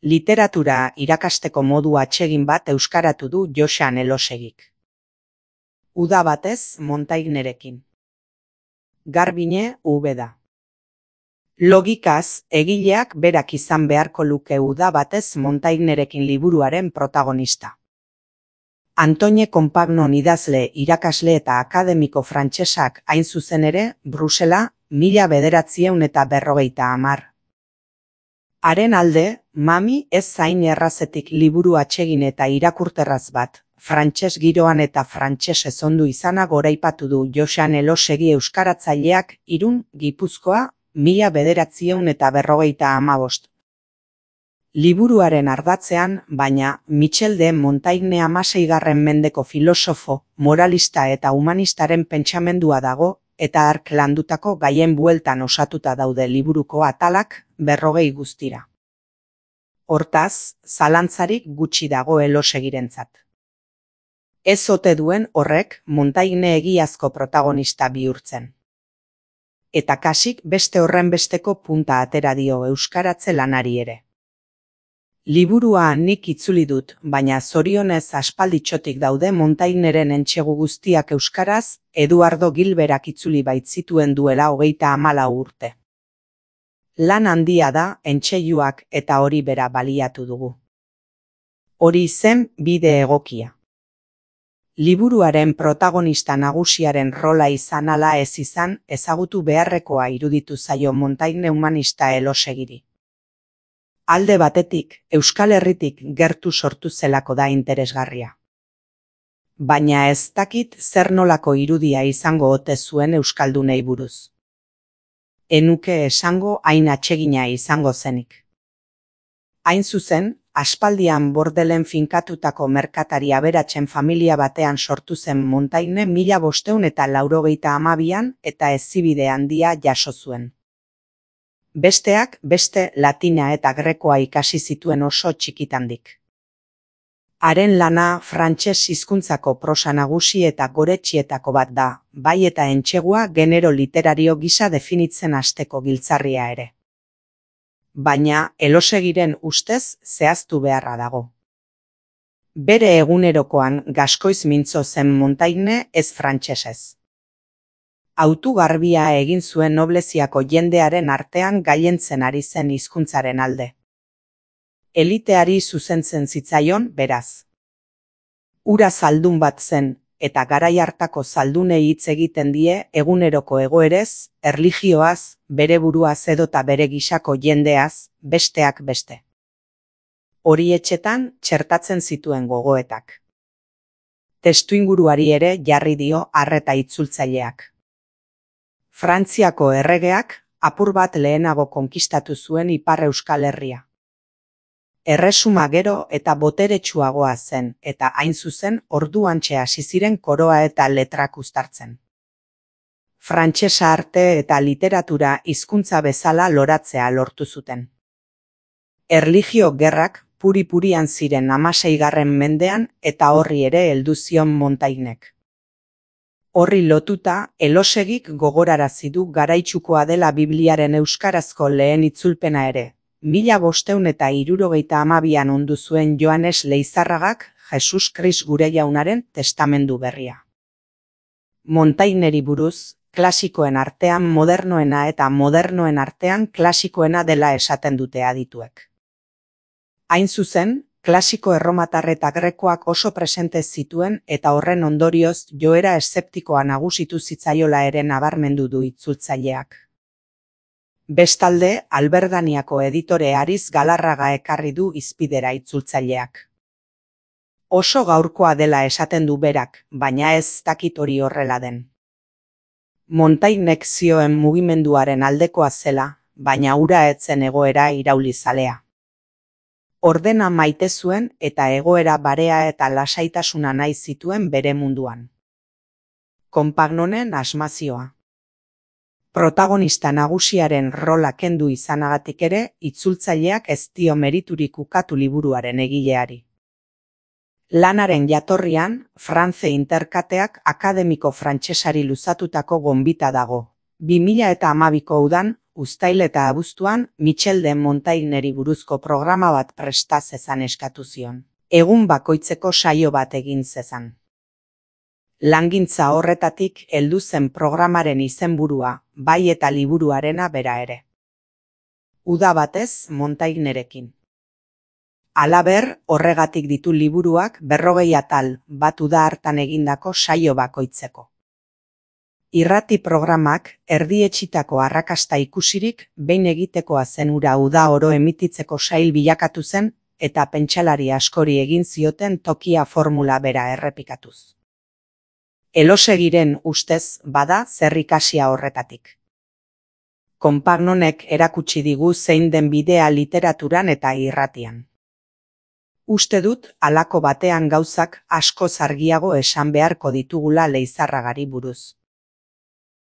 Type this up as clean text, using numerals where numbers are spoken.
Literatura irakasteko modu atsegin bat euskaratu du Joxan Elosegik. Uda batez Montaignerekin. Garbine Ubeda. Logikaz, egileak berak izan beharko luke Uda batez Montaignerekin liburuaren protagonista. Antoine Compagnon idazle, irakasle eta akademiko frantsesak hain zuzen ere, Brusela, 1950. Haren alde, Mami ez zain errazetik liburu atsegin eta irakurterraz bat, frantses giroan eta frantses ezondu izana goraipatu du Joxan Elosegi euskaratzaileak Irun, Gipuzkoa, 1955. Liburuaren ardatzean, baina, Michel de Montaigne 16. mendeko filosofo, moralista eta humanistaren pentsamendua dago, eta hark landutako gaien bueltan osatuta daude liburuko atalak 40 guztira. Hortaz, zalantzarik gutxi dago Elosegirentzat. Ez ote duen horrek Montaigne egiazko protagonista bihurtzen. Eta kasik beste horrenbesteko punta atera dio euskaratze lanari ere. Liburua nik itzuli dut, baina zorionez aspalditxotik daude Montagneren entsegu guztiak euskaraz, Eduardo Gilberak itzuli baitzituen duela 34 urte. Lan handia da, entseiluak eta hori bera baliatu dugu. Hori zen bide egokia. Liburuaren protagonista nagusiaren rola izan ala ez izan, ezagutu beharrekoa iruditu zaio Montaigne humanista Elosegiri. Alde batetik, Euskal Herritik gertu sortu zelako da interesgarria. Baina ez dakit zer nolako irudia izango ote zuen euskaldunei buruz. Enuke esango hain atsegina izango zenik. Hain zuzen, aspaldian Bordelen finkatutako merkatari aberatsen familia batean sortu zen Montaigne 1582an eta hezibide handia jaso zuen. Besteak beste latina eta grekoa ikasi zituen oso txikitandik. Haren lana frantses hizkuntzako prosa nagusi eta goretxietako bat da, bai eta entsegua genero literario gisa definitzen hasteko giltzarria ere. Baina Elosegiren ustez zehaztu beharra dago. Bere egunerokoan gaskoiz mintzo zen Montaigne ez frantsesez. Autu garbia egin zuen nobleziako jendearen artean gailentzen ari zen hizkuntzaren alde. Eliteari zuzentzen zitzaion, beraz. Ura zaldun bat zen, eta garai hartako zaldunei hitz egiten die eguneroko egoerez, erlijioaz, bere buruaz edota bere gisako jendeaz, besteak beste. Horietxetan txertatzen zituen gogoetak. Testuinguruari ere jarri dio arreta itzultzaileak. Frantziako erregeak apur bat lehenago konkistatu zuen Ipar Euskal Herria. Erresuma gero eta boteretsuagoa zen, eta hain zuzen orduantxe hasi ziren koroa eta letrak uztartzen. Frantsesa arte eta literatura hizkuntza bezala loratzea lortu zuten. Erlijio gerrak puri-purian ziren 16. mendean eta horri ere heldu zion Montaignek. Horri lotuta, Elosegik gogorarazi du garaitsukoa dela Bibliaren euskarazko lehen itzulpena ere. 1572an ondu zuen Joanes Leizarragak Jesus Kris gure jaunaren testamendu berria. Montagneri buruz, klasikoen artean modernoena eta modernoen artean klasikoena dela esaten dute adituek. Hain zuzen, klasiko erromatar eta grekoak oso presente zituen eta horren ondorioz joera eszeptikoa nagusitu zitzaiola ere nabarmendu du itzultzaileak. Bestalde, Alberdaniako editore Ariz Galarraga ekarri du hizpidera itzultzaileak. Oso gaurkoa dela esaten du berak, baina ez dakit hori horrela den. Montaignek zioen mugimenduaren aldekoa zela, baina hura etzen egoera iraulizalea. Ordena maite zuen eta egoera barea eta lasaitasuna nahi zituen bere munduan. Compagnonen asmazioa. Protagonista nagusiaren rola kendu izanagatik ere, itzultzaileak ez dio meriturik ukatu liburuaren egileari. Lanaren jatorrian, France Interkateak akademiko frantsesari luzatutako gonbita dago. 2012ko udan, uztail eta abuztuan Michel de Montagneri buruzko programa bat presta zezan eskatu zion. Egun bakoitzeko saio bat egin zezan. Langintza horretatik heldu zen programaren izenburua, bai eta liburuarena bera ere. Uda batez Montagnerekin. Halaber, horregatik ditu liburuak 40 atal, bat uda hartan egindako saio bakoitzeko. Irrati programak erdietsitako arrakasta ikusirik behin egitekoa zen ura uda oro emititzeko sail bilakatu zen eta pentsalari askori egin zioten tokia formula bera errepikatuz. Elosegiren ustez bada zer ikasia horretatik. Compagnonek erakutsi digu zein den bidea literaturan eta irratian. Uste dut halako batean gauzak askoz argiago esan beharko ditugula Leizarragari buruz.